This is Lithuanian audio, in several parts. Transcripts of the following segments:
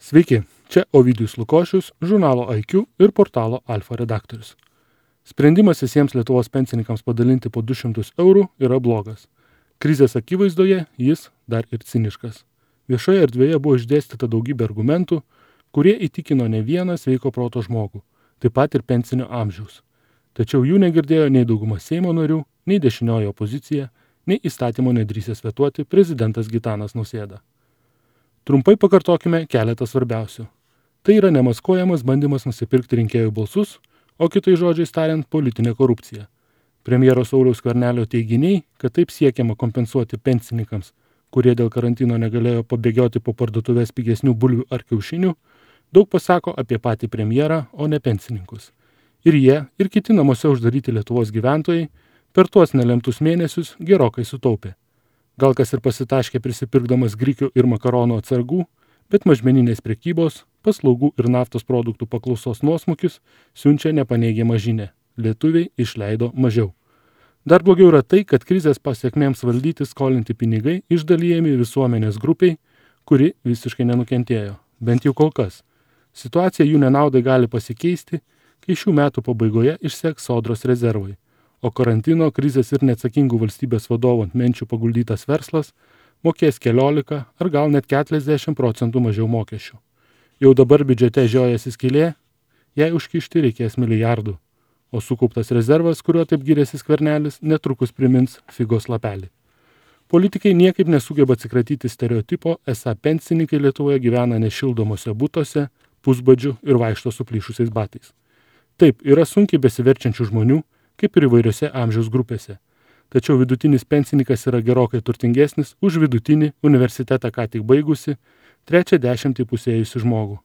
Sveiki, čia Ovidijus Lukošius, žurnalo IQ ir portalo Alfa redaktorius. Sprendimas visiems Lietuvos pensininkams padalinti po 200 eurų yra blogas. Krizės akivaizdoje jis dar ir ciniškas. Viešoje erdvėje buvo išdėstyta daugybė argumentų, kurie įtikino ne vieną sveiko proto žmogų, taip pat ir pensinio amžiaus. Tačiau jų negirdėjo nei dauguma Seimo narių, nei dešinioji opozicija, nei įstatymo nedrįsęs vetuoti prezidentas Gitanas Nausėda. Trumpai pakartokime keletą svarbiausių. Tai yra nemaskuojamas bandymas nusipirkti rinkėjų balsus, o kitais žodžiais tariant politinė korupcija. Premjero Sauliaus Skvernelio teiginiai, kad taip siekiama kompensuoti pensininkams, kurie dėl karantino negalėjo pabėgioti po parduotuvės pigesnių bulvių ar kiaušinių, daug pasako apie patį premjerą, o ne pensininkus. Ir jie, ir kiti namuose uždaryti Lietuvos gyventojai per tuos nelemtus mėnesius gerokai sutaupė. Gal kas ir pasitaškė prisipirkdamas grikių ir makaronų atsargų, bet mažmeninės prekybos, paslaugų ir naftos produktų paklausos nuosmukis siunčia nepaneigiamą žinią. Lietuviai išleido mažiau. Dar blogiau yra tai, kad krizės pasiekmėms valdyti skolinti pinigai išdalijami visuomenės grupiai, kuri visiškai nenukentėjo, bent jau kol kas. Situacija jų nenaudai gali pasikeisti, kai šių metų pabaigoje išseks sodros rezervai, o karantino, krizės ir neatsakingų valstybės vadovų ant menčių paguldytas verslas mokės 14 ar gal net 40% mažiau mokesčių. Jau dabar biudžete žiojasi skylė, jai užkišti reikės milijardų, o sukauptas rezervas, kuriuo taip giriasi Skvernelis, netrukus primins figos lapelį. Politikai niekaip nesugeba atsikratyti stereotipo, esą pensininkai Lietuvoje gyvena nešildomose butuose, pusbadžių ir vaikšto suplyšusiais batais. Taip, yra sunkiai besiverčiančių žmonių, kaip ir įvairiose amžiaus grupėse. Tačiau vidutinis pensininkas yra gerokai turtingesnis už vidutinį universitetą ką tik baigusi, 30 įpusėjusi žmogų.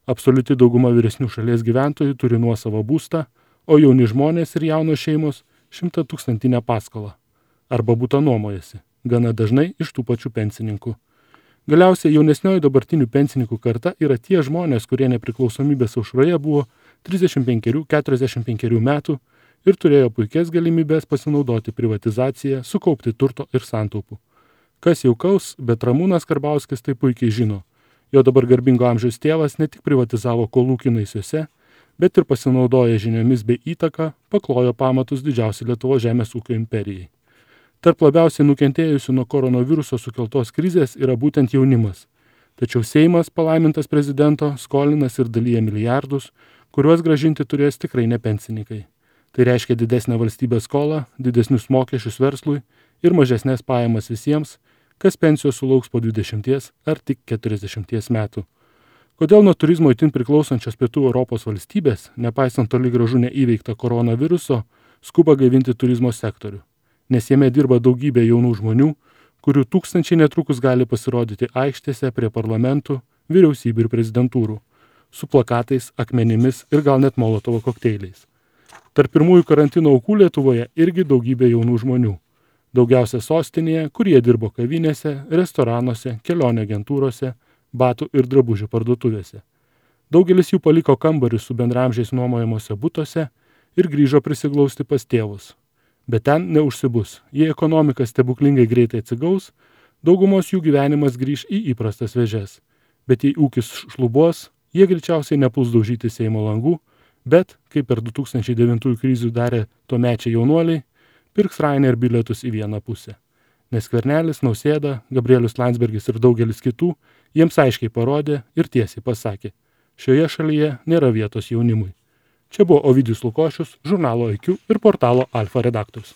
Absoliuti dauguma vyresnių šalies gyventojų turi nuosavą būstą, o jauni žmonės ir jaunos šeimos 100-tūkstantinę paskolą. Arba butą nuomojasi, gana dažnai iš tų pačių pensininkų. Galiausiai jaunesnioji dabartinių pensininkų karta yra tie žmonės, kurie nepriklausomybės aušroje buvo 35-45 metų ir turėjo puikias galimybės pasinaudoti privatizaciją, sukaupti turto ir santaupų. Kas jau kaus, bet Ramūnas Karbauskis tai puikiai žino. Jo dabar garbingo amžiaus tėvas ne tik privatizavo kolūkį Naisiuose, bet ir pasinaudoję žiniomis bei įtaką paklojo pamatus didžiausiai Lietuvos žemės ūkio imperijai. Tarp labiausiai nukentėjusių nuo koronaviruso sukeltos krizės yra būtent jaunimas. Tačiau Seimas, palaimintas prezidento, skolinas ir dalyja milijardus, kuriuos grąžinti turės tikrai ne pensininkai. Tai reiškia didesnę valstybės skolą, didesnius mokesčius verslui ir mažesnės pajamas visiems, kas pensijos sulauks po 20 ar tik 40 metų. Kodėl nuo turizmo itin priklausančios pietų Europos valstybės, nepaisant toli gražu neįveikto koronaviruso, skuba gaivinti turizmo sektorių? Nes jame dirba daugybė jaunų žmonių, kurių tūkstančiai netrukus gali pasirodyti aikštėse prie parlamentų, vyriausybių ir prezidentūrų, su plakatais, akmenimis ir gal net molotovo kokteiliais. Tarp pirmųjų karantino aukų Lietuvoje irgi daugybė jaunų žmonių. Daugiausia sostinėje, kurie dirbo kavinėse, restoranuose, kelionių agentūrose, batų ir drabužių parduotuvėse. Daugelis jų paliko kambarius su bendraamžiais nuomojamuose butuose ir grįžo prisiglausti pas tėvus. Bet ten neužsibus. Jei ekonomika stebuklingai greitai atsigaus, daugumos jų gyvenimas grįž į įprastas vėžes. Bet jei ūkis šlubuos, jie greičiausiai nepuls daužyti Seimo langų, bet, kaip per 2009 krizių darė tuomečiai jaunuoliai, pirks Ryanair bilietus į vieną pusę. Nes Skvernelis, Nausėda, Gabrielius Landsbergis ir daugelis kitų jiems aiškiai parodė ir tiesiai pasakė, šioje šalyje nėra vietos jaunimui. Čia buvo Ovidijus Lukošius, žurnalo IQ ir portalo Alfa redaktorius.